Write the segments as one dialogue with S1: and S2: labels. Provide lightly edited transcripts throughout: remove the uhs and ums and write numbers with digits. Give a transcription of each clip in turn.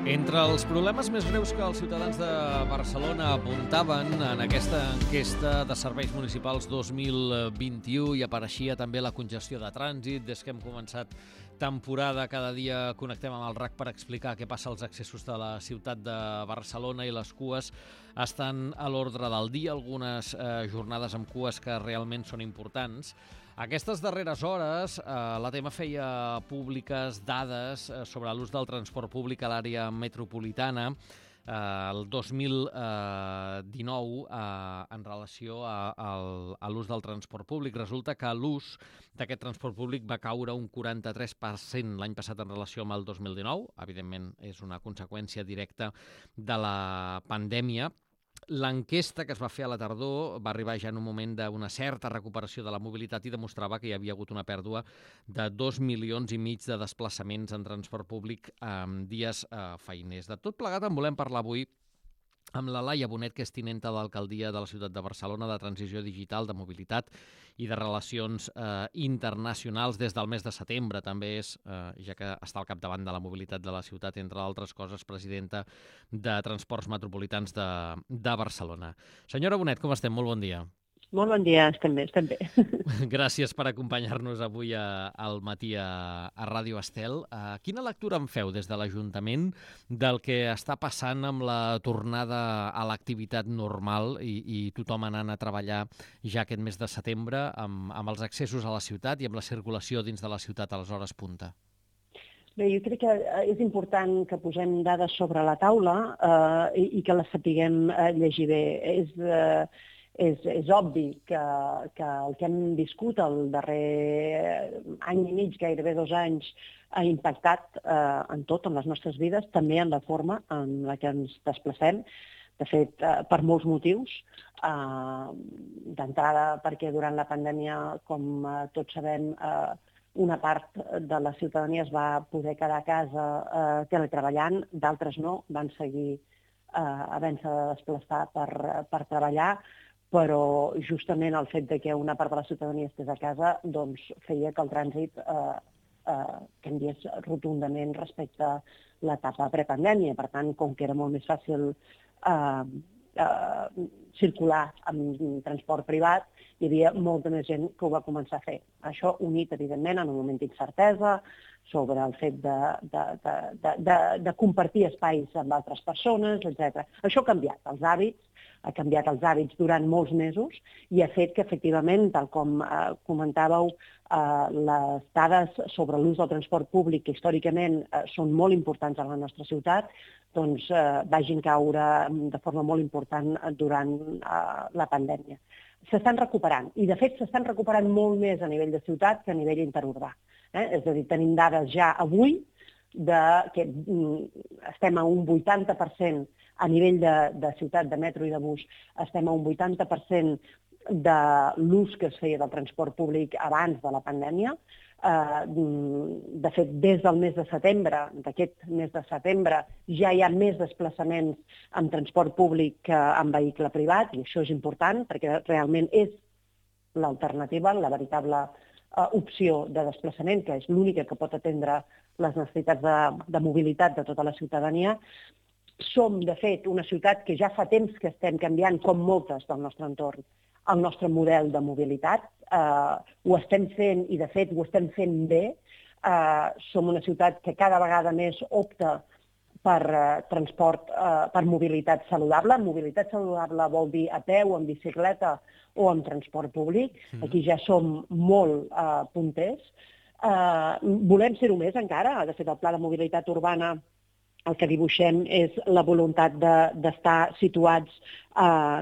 S1: Entre els problemes més greus que els ciutadans de Barcelona apuntaven en aquesta enquesta de serveis municipals 2021 hi apareixia també la congestió de trànsit. Des que hem començat temporada, cada dia connectem amb el RAC per explicar què passa als accessos de la ciutat de Barcelona i les cues estan a l'ordre del dia, algunes jornades amb cues que realment són importants. Aquestes darreres hores, l'ATM feia públiques dades sobre l'ús del transport públic a l'àrea metropolitana el 2019 en relació a l'ús del transport públic. Resulta que l'ús d'aquest transport públic va caure un 43% l'any passat en relació amb el 2019. Evidentment, és una conseqüència directa de la pandèmia. L'enquesta que es va fer a la tardor va arribar ja en un moment d'una certa recuperació de la mobilitat i demostrava que hi havia hagut una pèrdua de 2,5 milions de desplaçaments en transport públic en dies feiners. De tot plegat en volem parlar avui amb la Laia Bonet, que és tinenta d'alcaldia de la ciutat de Barcelona, de transició digital, de mobilitat i de relacions internacionals des del mes de setembre. També és, ja que està al capdavant de la mobilitat de la ciutat, entre altres coses, presidenta de Transports Metropolitans de Barcelona. Senyora Bonet, com estem? Molt bon dia.
S2: Molt bon dia, estem bé.
S1: Gràcies per acompanyar-nos avui al matí a Ràdio Estel. Quina lectura en feu des de l'Ajuntament del que està passant amb la tornada a l'activitat normal i tothom anant a treballar ja aquest mes de setembre amb els accessos a la ciutat i amb la circulació dins de la ciutat a les hores punta?
S2: Bé, jo crec que és important que posem dades sobre la taula i que les sapiguem llegir bé. És obvi que el que hem viscut el darrer any i mig, gairebé 2 anys, ha impactat en tot, en les nostres vides, també en la forma en la que ens desplacem. De fet, per molts motius. D'entrada, perquè durant la pandèmia, com tots sabem, una part de la ciutadania es va poder quedar a casa teletreballant, d'altres no, van seguir havent-se de desplaçar per treballar, però justament el fet que una part de la ciutadania estés a casa doncs, feia que el trànsit canviés rotundament respecte a l'etapa prepandèmia. Per tant, com que era molt més fàcil circular amb transport privat, hi havia molta més gent que ho va començar a fer. Això unit, evidentment, en un moment d'incertesa sobre el fet de compartir espais amb altres persones, etc. Això ha canviat els hàbits, ha canviat els hàbits durant molts mesos i ha fet que, efectivament, tal com comentàveu, les dades sobre l'ús del transport públic, que històricament són molt importants a la nostra ciutat, doncs vagin caure de forma molt important durant la pandèmia. S'estan recuperant, i de fet s'estan recuperant molt més a nivell de ciutat que a nivell interurbà. És a dir, tenim dades ja avui que estem a un 80% a nivell de ciutat, de metro i de bus, estem a un 80% de l'ús que es feia del transport públic abans de la pandèmia. De fet, des del mes de setembre, d'aquest mes de setembre, ja hi ha més desplaçaments amb transport públic que amb vehicle privat, i això és important perquè realment és l'alternativa, la veritable opció de desplaçament, que és l'única que pot atendre les necessitats de mobilitat de tota la ciutadania. Som, de fet, una ciutat que ja fa temps que estem canviant, com moltes del nostre entorn, el nostre model de mobilitat. Ho estem fent, i de fet ho estem fent bé. Som una ciutat que cada vegada més opta per transport, per mobilitat saludable. Mobilitat saludable vol dir a peu, en bicicleta o en transport públic. Aquí ja som molt punters. Volem ser-ho més encara. De fet, el Pla de Mobilitat Urbana, el que dibuixem és la voluntat d'estar situats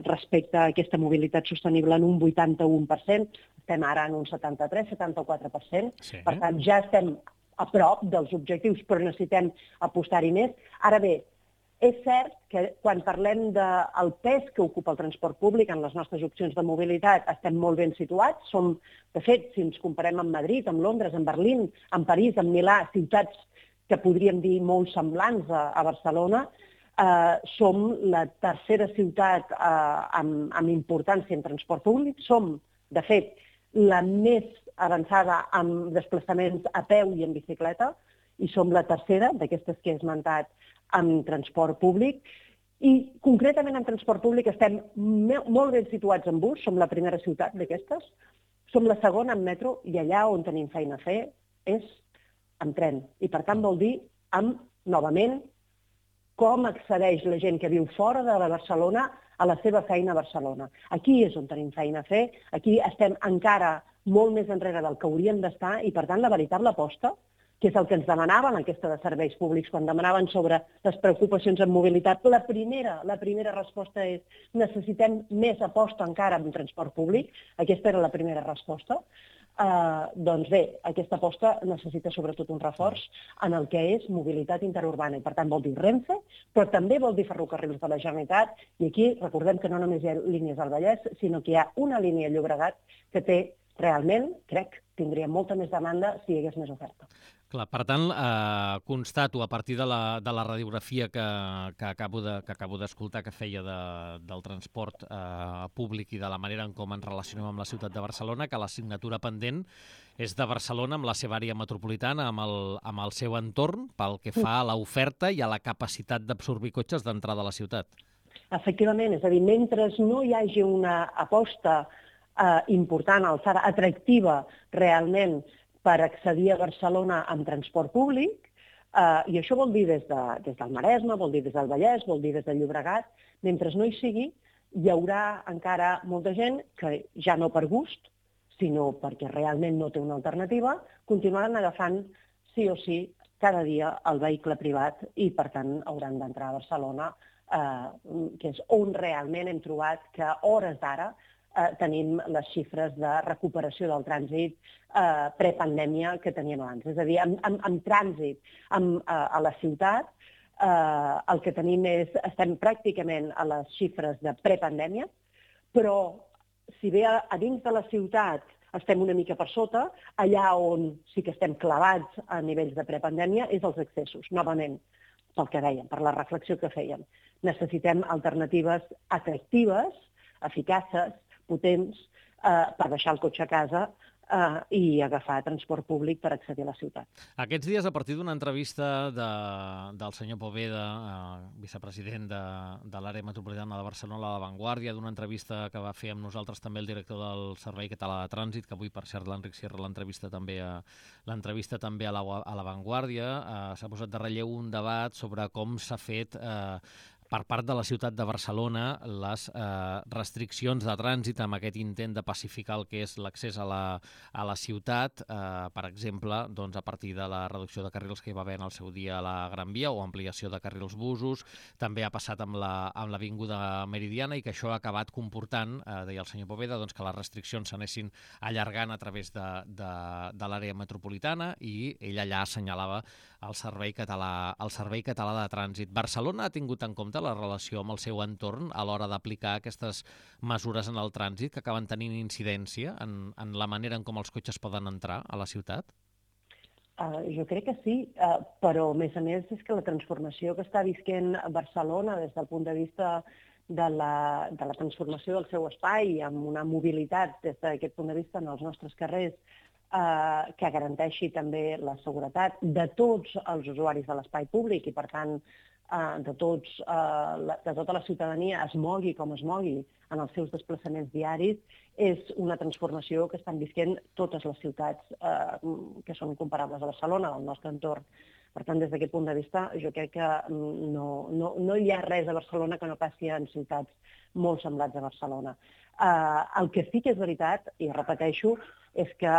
S2: respecte a aquesta mobilitat sostenible en un 81%. Estem ara en un 73-74%.
S1: Sí.
S2: Per tant, ja estem a prop dels objectius, però necessitem apostar-hi més. Ara bé, és cert que quan parlem del pes que ocupa el transport públic en les nostres opcions de mobilitat, estem molt ben situats. Som, de fet, si ens comparem amb Madrid, amb Londres, amb Berlín, amb París, amb Milà, ciutats que podríem dir molt semblants a Barcelona, som la tercera ciutat amb importància en transport públic. Som, de fet, la més avançada amb desplaçaments a peu i en bicicleta, i som la tercera d'aquestes que he esmentat amb transport públic. I concretament en transport públic estem molt ben situats en bus, som la primera ciutat d'aquestes, som la segona en metro i allà on tenim feina a fer és amb tren. I per tant vol dir novament, com accedeix la gent que viu fora de Barcelona a la seva feina a Barcelona. Aquí és on tenim feina a fer, aquí estem encara molt més enrere del que hauríem d'estar i per tant la veritable aposta, que és el que ens demanaven l'enquesta de serveis públics, quan demanaven sobre les preocupacions en mobilitat. La primera resposta és necessitem més aposta encara en transport públic. Aquesta era la primera resposta. Doncs bé, aquesta aposta necessita sobretot un reforç en el que és mobilitat interurbana i per tant vol dir Renfe, però també vol dir ferrocarrils de la Generalitat i aquí recordem que no només hi ha línies al Vallès, sinó que hi ha una línia a Llobregat que té realment, crec, tindria molta més demanda si hi hagués més oferta.
S1: Clar, per tant, constato a partir de la radiografia que acabo d'escoltar que feia del transport públic i de la manera en com ens relacionem amb la ciutat de Barcelona, que l'assignatura pendent és de Barcelona amb la seva àrea metropolitana, amb el seu entorn, pel que fa a l'oferta i a la capacitat d'absorbir cotxes d'entrada a la ciutat.
S2: Efectivament, és a dir, mentre no hi hagi una aposta important, alçada, atractiva realment per accedir a Barcelona amb transport públic, i això vol dir des del Maresme, vol dir des del Vallès, vol dir des del Llobregat, mentre no hi sigui, hi haurà encara molta gent que ja no per gust, sinó perquè realment no té una alternativa, continuaran agafant sí o sí cada dia el vehicle privat i per tant hauran d'entrar a Barcelona, que és on realment hem trobat que a hores d'ara tenim les xifres de recuperació del trànsit prepandèmia que teníem abans. És a dir, en trànsit a la ciutat, el que tenim estem pràcticament a les xifres de prepandèmia, però si bé a dins de la ciutat estem una mica per sota, allà on sí que estem clavats a nivells de prepandèmia és els accessos, novament, pel que dèiem, per la reflexió que fèiem. Necessitem alternatives atractives, eficaces, potents, per deixar el cotxe a casa i agafar transport públic per accedir a la ciutat.
S1: Aquests dies, a partir d'una entrevista del senyor Poveda, vicepresident de l'àrea metropolitana de Barcelona a La Vanguardia, d'una entrevista que va fer amb nosaltres també el director del Servei Català de Trànsit, que avui, per cert, l'Enric Sierra l'entrevista també a La Vanguardia, s'ha posat de relleu un debat sobre com s'ha fet per part de la ciutat de Barcelona les restriccions de trànsit amb aquest intent de pacificar el que és l'accés a la ciutat, per exemple, doncs a partir de la reducció de carrils que hi va haver en el seu dia a la Gran Via o ampliació de carrils busos. També ha passat amb l'avinguda Meridiana i que això ha acabat comportant, deia el senyor Poveda, doncs que les restriccions s'anessin allargant a través de l'àrea metropolitana i ell allà assenyalava el Servei Català de Trànsit. Barcelona ha tingut en compte la relació amb el seu entorn a l'hora d'aplicar aquestes mesures en el trànsit que acaben tenint incidència en la manera en com els cotxes poden entrar a la ciutat?
S2: Jo crec que sí, però a més és que la transformació que està visquent Barcelona des del punt de vista de la transformació del seu espai amb una mobilitat des d'aquest punt de vista en els nostres carrers que garanteixi també la seguretat de tots els usuaris de l'espai públic i, per tant, de tota la ciutadania es mogui com es mogui en els seus desplaçaments diaris, és una transformació que estan visquent totes les ciutats que són comparables a Barcelona, del nostre entorn. Per tant, des d'aquest punt de vista, jo crec que no hi ha res a Barcelona que no passi en ciutats molt semblants a Barcelona. El que sí que és veritat, i repeteixo, és que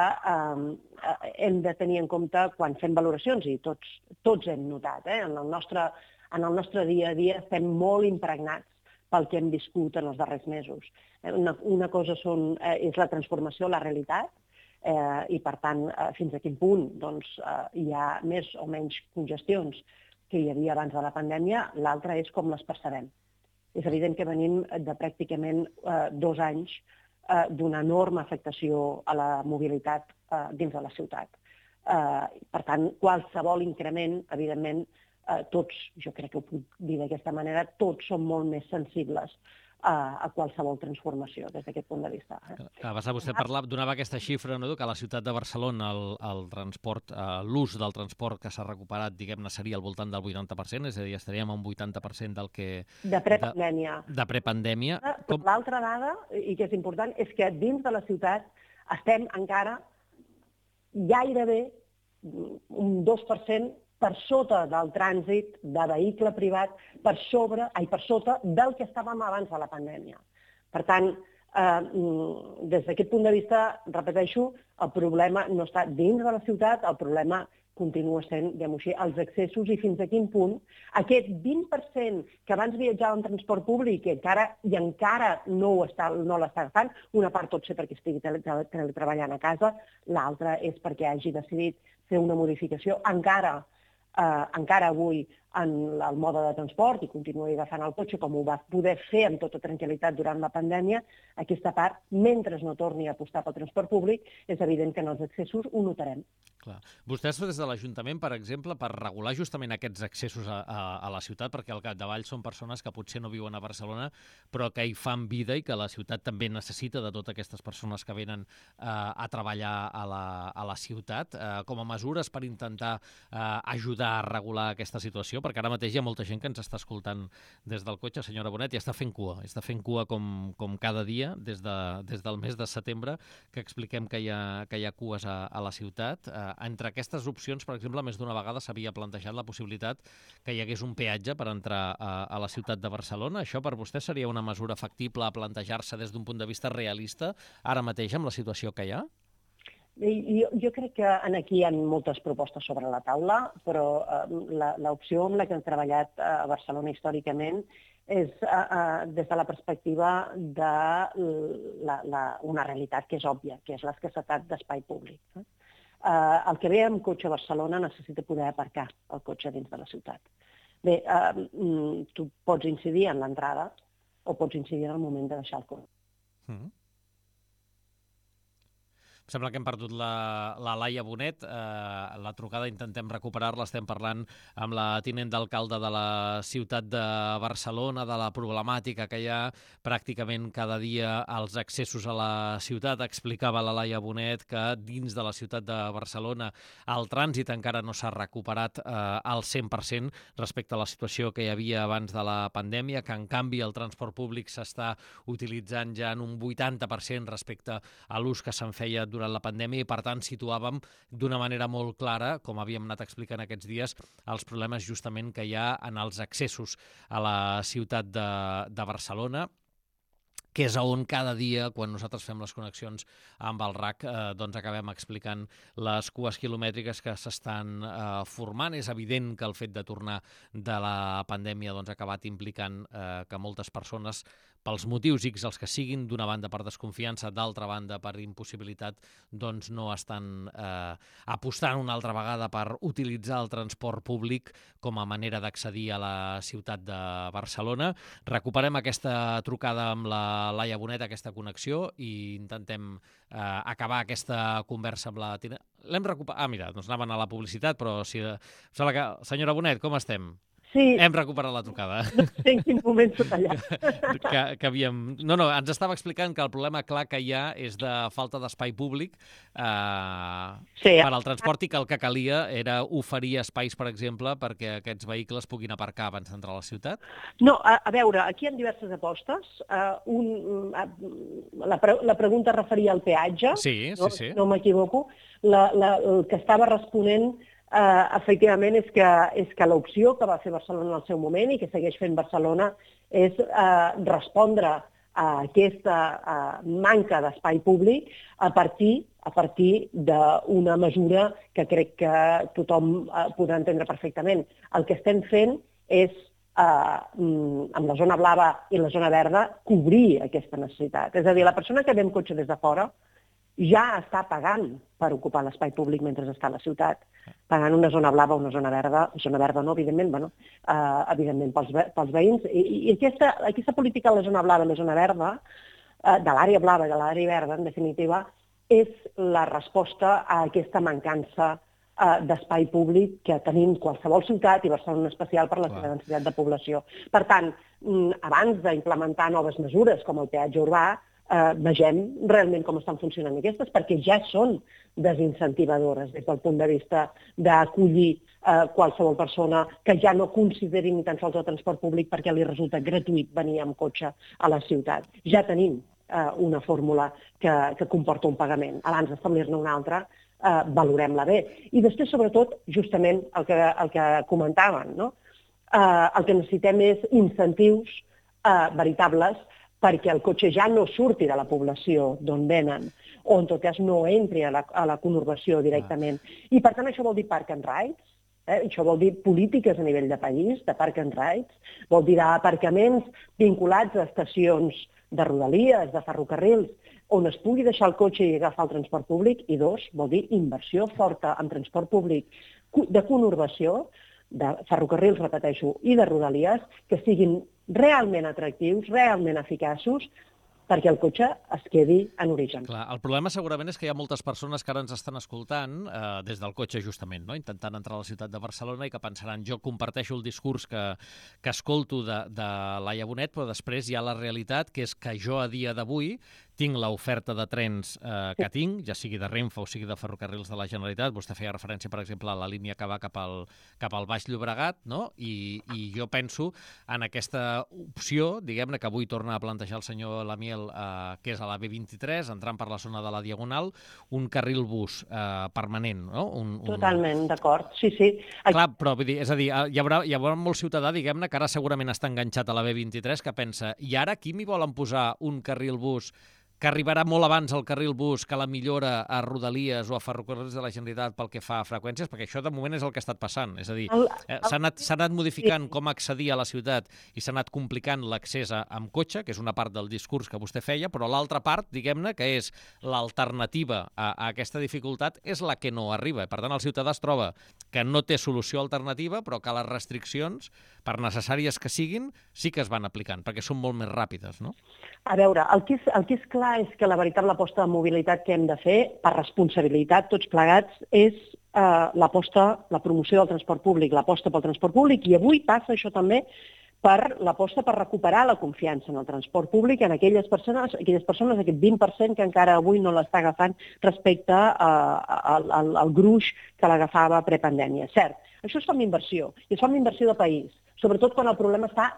S2: hem de tenir en compte quan fem valoracions, i tots hem notat, en el nostre dia a dia estem molt impregnats pel que hem viscut en els darrers mesos. Una cosa és la transformació a la realitat, i per tant, fins a quin punt hi ha més o menys congestions que hi havia abans de la pandèmia, l'altra és com les percebem. És evident que venim de pràcticament 2 anys d'una enorme afectació a la mobilitat dins de la ciutat. Per tant, qualsevol increment, evidentment, tots, jo crec que ho puc dir d'aquesta manera, tots som molt més sensibles a qualsevol transformació des d'aquest punt de vista.
S1: Abans vostè donava aquesta xifra, no?, que a la ciutat de Barcelona el transport, l'ús del transport que s'ha recuperat, diguem-ne, seria al voltant del 80%, és a dir, estaríem a un 80% del que...
S2: De prepandèmia.
S1: De prepandèmia.
S2: L'altra dada, i que és important, és que dins de la ciutat estem encara gairebé un 2% per sota del trànsit de vehicle privat, per sota del que estàvem abans de la pandèmia. Per tant, des d'aquest punt de vista, repeteixo, el problema no està dins de la ciutat, el problema continua sent, diguem-ho així, els accessos i fins a quin punt aquest 20% que abans viatjava en transport públic i encara no l'està agafant, una part pot ser perquè estigui treballant a casa, l'altra és perquè hagi decidit fer una modificació encara avui en el mode de transport i continuï agafant el cotxe com ho va poder fer amb tota tranquil·litat durant la pandèmia, aquesta part, mentre no torni a apostar pel transport públic, és evident que en els accessos ho notarem.
S1: Clar. Vostès des de l'Ajuntament, per exemple, per regular justament aquests accessos a la ciutat, perquè al capdavall són persones que potser no viuen a Barcelona, però que hi fan vida i que la ciutat també necessita de totes aquestes persones que venen a treballar a la ciutat, com a mesures per intentar ajudar a regular aquesta situació, perquè ara mateix hi ha molta gent que ens està escoltant des del cotxe, senyora Bonet, i està fent cua com cada dia des del mes de setembre, que expliquem que hi ha cues a la ciutat. Entre aquestes opcions, per exemple, més d'una vegada s'havia plantejat la possibilitat que hi hagués un peatge per entrar a la ciutat de Barcelona. Això per vostè seria una mesura factible a plantejar-se des d'un punt de vista realista, ara mateix amb la situació que hi ha?
S2: Jo crec que aquí hi ha moltes propostes sobre la taula, però l'opció amb la que hem treballat a Barcelona històricament és des de la perspectiva d'una realitat que és òbvia, que és l'escassetat d'espai públic. El que ve amb cotxe a Barcelona necessita poder aparcar el cotxe dins de la ciutat. Bé, tu pots incidir en l'entrada o pots incidir en el moment de deixar el cotxe.
S1: Em sembla que hem perdut la Laia Bonet. La trucada intentem recuperar-la. Estem parlant amb la tinent d'alcalde de la ciutat de Barcelona, de la problemàtica que hi ha pràcticament cada dia als accessos a la ciutat. Explicava la Laia Bonet que dins de la ciutat de Barcelona el trànsit encara no s'ha recuperat al 100% respecte a la situació que hi havia abans de la pandèmia, que en canvi el transport públic s'està utilitzant ja en un 80% respecte a l'ús que se'n feia durant la pandèmia i, per tant, situàvem d'una manera molt clara, com havíem anat explicant aquests dies, els problemes justament que hi ha en els accessos a la ciutat de Barcelona, que és on cada dia, quan nosaltres fem les connexions amb el RAC, doncs acabem explicant les cues quilomètriques que s'estan formant. És evident que el fet de tornar de la pandèmia ha acabat implicant que moltes persones, pels motius X els que siguin, d'una banda per desconfiança, d'altra banda per impossibilitat, doncs no estan apostant una altra vegada per utilitzar el transport públic com a manera d'accedir a la ciutat de Barcelona. Recuperem aquesta trucada amb la Laia Bonet, aquesta connexió, i intentem acabar aquesta conversa amb la... L'hem recuperat... Mira, doncs anaven a la publicitat, però si... Senyora Bonet, com estem?
S2: Sí.
S1: Hem recuperat la trucada.
S2: No sé en quin moment s'ha tallat.
S1: Ens estava explicant que el problema clar que hi ha és de falta d'espai públic per al transport i que el que calia era oferir espais, per exemple, perquè aquests vehicles puguin aparcar abans d'entrar a la ciutat?
S2: No, a veure, aquí hi ha diverses apostes. La pregunta referia al peatge.
S1: Sí.
S2: No m'equivoco. El que estava responent efectivament és que l'opció que va fer Barcelona en el seu moment i que segueix fent Barcelona és respondre a aquesta manca d'espai públic a partir d'una mesura que crec que tothom podrà entendre perfectament. El que estem fent és, amb la zona blava i la zona verda, cobrir aquesta necessitat. És a dir, la persona que ve amb cotxe des de fora ja està pagant per ocupar l'espai públic mentre està a la ciutat, pagant una zona blava o una zona verda no, evidentment, evidentment pels veïns. I aquesta política de la zona blava i la zona verda, de l'àrea blava i de l'àrea verda, en definitiva, és la resposta a aquesta mancança d'espai públic que tenim qualsevol ciutat i Barcelona en especial per la seva densitat de població. Per tant, abans d'implementar noves mesures com el peatge urbà, vegem realment com estan funcionant aquestes, perquè ja són desincentivadores des del punt de vista d'acollir qualsevol persona que ja no consideri ni tan sols el transport públic perquè li resulta gratuït venir amb cotxe a la ciutat. Ja tenim una fórmula que comporta un pagament. Abans d'establir-ne una altra, valorem-la bé. I després, sobretot, justament el que comentaven, no? El que necessitem és incentius veritables perquè el cotxe ja no surti de la població d'on venen, o en tot cas no entri a la conurbació directament. I per tant això vol dir park and rides, això vol dir polítiques a nivell de país, de park and rides, vol dir aparcaments vinculats a estacions de rodalies, de ferrocarrils, on es pugui deixar el cotxe i agafar el transport públic, i dos, vol dir inversió forta en transport públic de conurbació, de ferrocarrils, repeteixo, i de rodalies, que siguin realment atractius, realment eficaços, perquè el cotxe es quedi en origen.
S1: Clar, el problema segurament és que hi ha moltes persones que ara ens estan escoltant des del cotxe, justament, no? Intentant entrar a la ciutat de Barcelona i que pensaran, jo comparteixo el discurs que escolto de Laia Bonet, però després hi ha la realitat, que és que jo a dia d'avui tinc l'oferta de trens que tinc, ja sigui de Renfe o sigui de Ferrocarrils de la Generalitat. Vostè feia referència, per exemple, a la línia que va cap al Baix Llobregat, no? I jo penso en aquesta opció, diguem-ne, que avui torna a plantejar el senyor Lamiel, que és a la B23, entrant per la zona de la Diagonal, un carril bus permanent, no?
S2: Totalment, d'acord, sí, sí.
S1: Clar, però vull dir, és a dir, hi haurà molt ciutadà, diguem-ne, que ara segurament està enganxat a la B23, que pensa, i ara aquí m'hi volen posar un carril bus que arribarà molt abans al carril bus que la millora a Rodalies o a Ferrocarrils de la Generalitat pel que fa a freqüències, perquè això de moment és el que ha estat passant. És a dir, s'ha anat modificant com accedir a la ciutat i s'ha anat complicant l'accés amb cotxe, que és una part del discurs que vostè feia, però l'altra part, diguem-ne, que és l'alternativa a aquesta dificultat, és la que no arriba. Per tant, el ciutadà es troba que no té solució alternativa, però que les restriccions, per necessàries que siguin, sí que es van aplicant, perquè són molt més ràpides, no?
S2: A veure, el que és clar és que la veritable aposta de mobilitat que hem de fer, per responsabilitat, tots plegats, és la promoció del transport públic, l'aposta pel transport públic, i avui passa això també per l'aposta per recuperar la confiança en el transport públic en aquelles persones, aquest 20% que encara avui no l'està agafant respecte al gruix que l'agafava prepandèmia. Cert, això es fa amb inversió, i es fa amb inversió de país, sobretot quan el problema està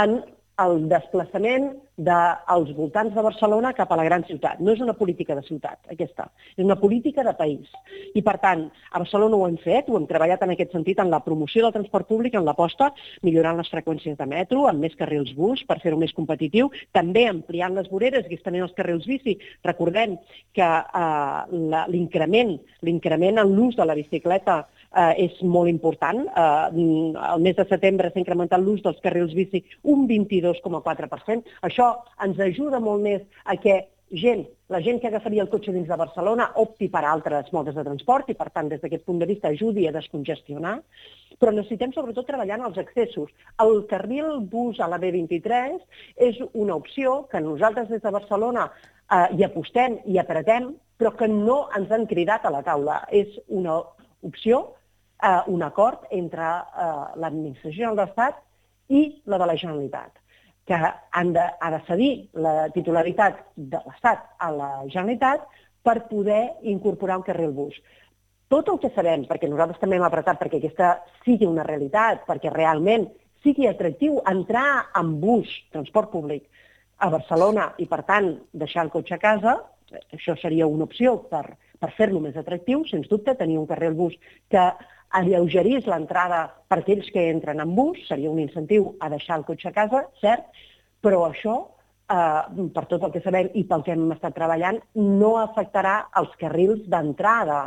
S2: en el desplaçament dels voltants de Barcelona cap a la gran ciutat. No és una política de ciutat, aquesta. És una política de país. I, per tant, a Barcelona ho hem fet, ho hem treballat en aquest sentit, en la promoció del transport públic, en l'aposta, millorant les freqüències de metro, amb més carrils bus per fer-ho més competitiu, també ampliant les voreres i estenent els carrils bici. Recordem que l'increment en l'ús de la bicicleta és molt important. El mes de setembre s'ha incrementat l'ús dels carrils bici un 22,4%. Això ens ajuda molt més a que la gent que agafaria el cotxe dins de Barcelona opti per altres modes de transport i, per tant, des d'aquest punt de vista ajudi a descongestionar. Però necessitem sobretot treballar en els accessos. El carril bus a la B23 és una opció que nosaltres des de Barcelona hi apostem i apretem, però que no ens han cridat a la taula. És una opció, un acord entre l'administració de l'Estat i la de la Generalitat, que ha de cedir la titularitat de l'Estat a la Generalitat per poder incorporar un carril bus. Tot el que sabem, perquè nosaltres també hem apretat perquè aquesta sigui una realitat, perquè realment sigui atractiu entrar en bus, transport públic, a Barcelona i, per tant, deixar el cotxe a casa, això seria una opció per fer-lo més atractiu, sens dubte, tenir un carril bus que alleugerís l'entrada per aquells que entren en bus, seria un incentiu a deixar el cotxe a casa, cert, però això, per tot el que sabem i pel que hem estat treballant, no afectarà els carrils d'entrada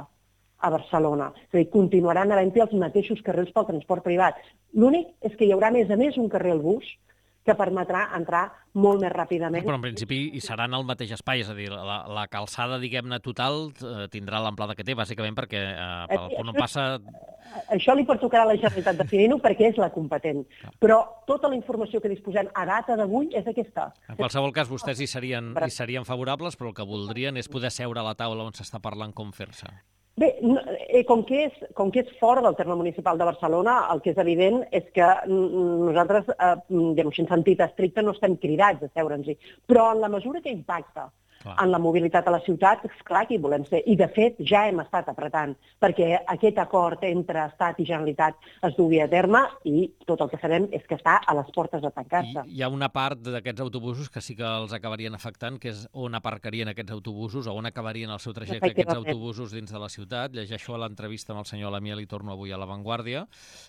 S2: a Barcelona. És a dir, continuaran havent-hi els mateixos carrils pel transport privat. L'únic és que hi haurà, a més, un carril bus que permetrà entrar molt més ràpidament.
S1: Però en principi hi seran al mateix espai, és a dir, la calçada, diguem-ne, total tindrà l'amplada que té, bàsicament perquè no passa...
S2: Això li pertocarà a la Generalitat definir-ho perquè és la competent. Però tota la informació que disposem a data d'avui és aquesta.
S1: En qualsevol cas, vostès hi serien favorables, però el que voldrien és poder seure a la taula on s'està parlant com fer-se.
S2: Bé, com que és fora del terme municipal de Barcelona, el que és evident és que nosaltres, en sentit estricte, no estem cridats a seure'ns-hi, però en la mesura que impacta en la mobilitat a la ciutat, és clar que hi volem ser. I, de fet, ja hem estat apretant perquè aquest acord entre Estat i Generalitat es dugui a terme i tot el que sabem és que està a les portes de tancar-se.
S1: Hi ha una part d'aquests autobusos que sí que els acabarien afectant, que és on aparcarien aquests autobusos o on acabarien el seu trajecte aquests autobusos dins de la ciutat. Llegeixo a l'entrevista amb el senyor Lamiel i torno avui a La Vanguardia,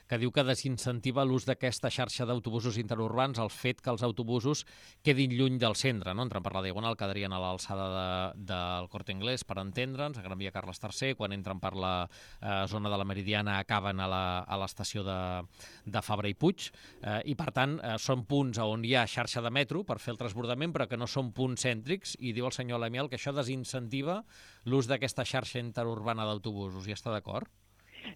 S1: que diu que desincentiva l'ús d'aquesta xarxa d'autobusos interurbans el fet que els autobusos quedin lluny del centre, no? Entrant per la Diagonal quedarien a l'alçada del Corte Inglés, per entendre'ns, a Gran Via Carles III, quan entren per la zona de la Meridiana acaben a l'estació de Fabra i Puig, i per tant són punts on hi ha xarxa de metro per fer el transbordament, però que no són punts cèntrics, i diu el senyor Lamiel que això desincentiva l'ús d'aquesta xarxa interurbana d'autobusos. Hi està d'acord?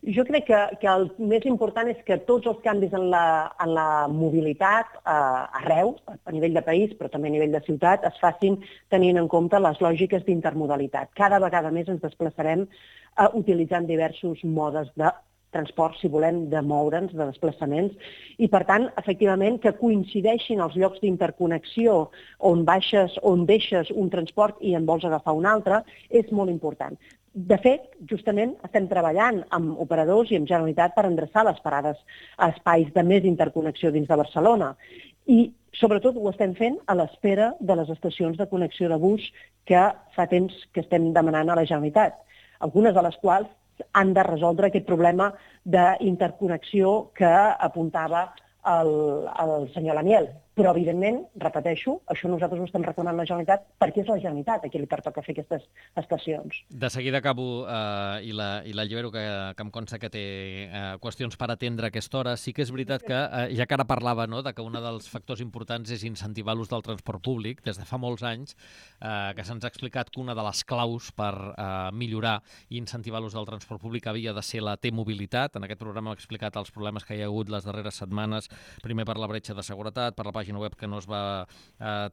S2: Jo crec que el més important és que tots els canvis en la mobilitat arreu, a nivell de país, però també a nivell de ciutat, es facin tenint en compte les lògiques d'intermodalitat. Cada vegada més ens desplaçarem utilitzant diversos modes de transport, si volem, de moure'ns, de desplaçaments, i per tant, efectivament, que coincideixin els llocs d'interconnexió on deixes un transport i en vols agafar un altre, és molt important. De fet, justament estem treballant amb operadors i amb Generalitat per endreçar les parades a espais de més interconnexió dins de Barcelona. I, sobretot, ho estem fent a l'espera de les estacions de connexió de bus que fa temps que estem demanant a la Generalitat, algunes de les quals han de resoldre aquest problema d'interconnexió que apuntava el senyor Lamiel. Però, evidentment, repeteixo, això nosaltres ho estem reclamant a la Generalitat perquè és la Generalitat a qui li pertoca fer aquestes estacions.
S1: De seguida acabo i l'allibero, que em consta que té qüestions per atendre a aquesta hora. Sí que és veritat que, ja que ara parlava de que un dels factors importants és incentivar l'ús del transport públic, des de fa molts anys que se'ns ha explicat que una de les claus per millorar i incentivar l'ús del transport públic havia de ser la T-mobilitat. En aquest programa hem explicat els problemes que hi ha hagut les darreres setmanes, primer per la bretxa de seguretat, per la pàgina web que no es va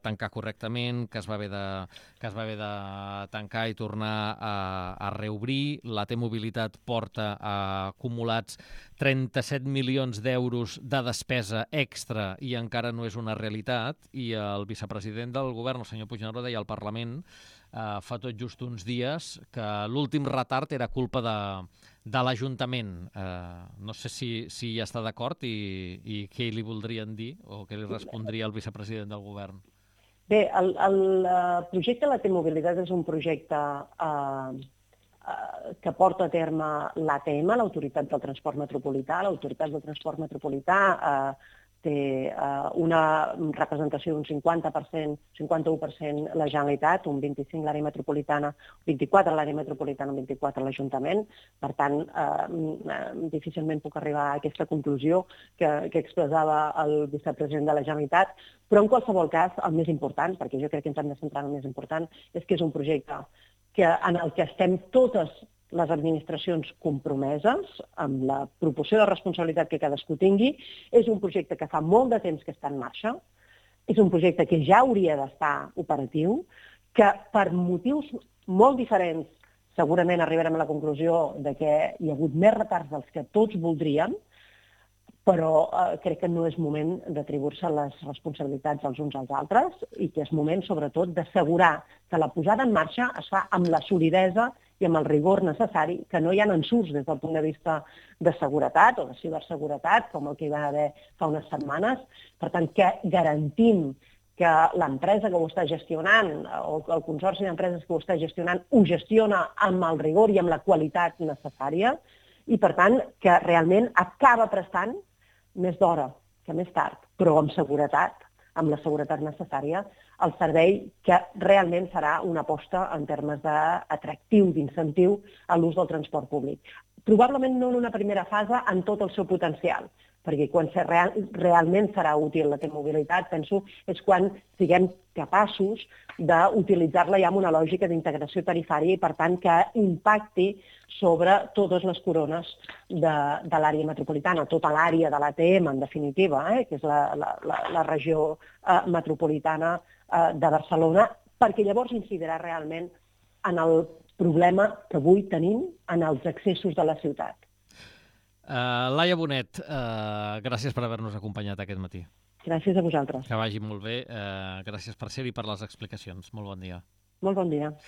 S1: tancar correctament, que es va haver de tancar i tornar a reobrir. La T-mobilitat porta acumulats 37 milions d'euros de despesa extra i encara no és una realitat, i el vicepresident del govern, el senyor Puigneró, deia al Parlament fa tot just uns dies que l'últim retard era culpa de l'Ajuntament. No sé si hi està d'acord i què li voldrien dir o què li respondria el vicepresident del govern.
S2: Bé, el projecte de la T-mobilitat és un projecte que porta a terme l'ATM, l'Autoritat del Transport Metropolità. L'Autoritat del Transport Metropolità té una representació d'un 50%, 51% la Generalitat, un 25% l'àrea metropolitana, un 24% l'àrea metropolitana, un 24% l'Ajuntament. Per tant, difícilment puc arribar a aquesta conclusió que expressava el vicepresident de la Generalitat, però en qualsevol cas, el més important, perquè jo crec que ens hem de centrar en el més important, és que és un projecte en el que estem totes les administracions compromeses amb la proporció de responsabilitat que cadascú tingui. És un projecte que fa molt de temps que està en marxa, és un projecte que ja hauria d'estar operatiu, que per motius molt diferents segurament arribarem a la conclusió de que hi ha hagut més retards dels que tots voldríem, però crec que no és moment d'atribuir-se les responsabilitats els uns als altres i que és moment, sobretot, d'assegurar que la posada en marxa es fa amb la solidesa i amb el rigor necessari, que no hi ha ensurts des del punt de vista de seguretat o de ciberseguretat, com el que hi va haver fa unes setmanes. Per tant, que garantim que l'empresa que ho està gestionant o el consorci d'empreses que ho està gestionant ho gestiona amb el rigor i amb la qualitat necessària i, per tant, que realment acaba prestant més d'hora que més tard, però amb seguretat, amb la seguretat necessària, el servei que realment serà una aposta en termes d'atractiu, d'incentiu a l'ús del transport públic. Probablement no en una primera fase en tot el seu potencial, perquè quan realment serà útil la T-mobilitat, penso, és quan siguem capaços d'utilitzar-la ja amb una lògica d'integració tarifària i, per tant, que impacti sobre totes les corones de l'àrea metropolitana, tota l'àrea de l'ATM, en definitiva, que és la regió metropolitana de Barcelona, perquè llavors incidirà realment en el problema que avui tenim en els accessos de la ciutat.
S1: Laia Bonet, gràcies per haver-nos acompanyat aquest matí.
S2: Gràcies a vosaltres.
S1: Que vagi molt bé. Gràcies per ser-hi i per les explicacions. Molt bon dia.
S2: Molt bon dia.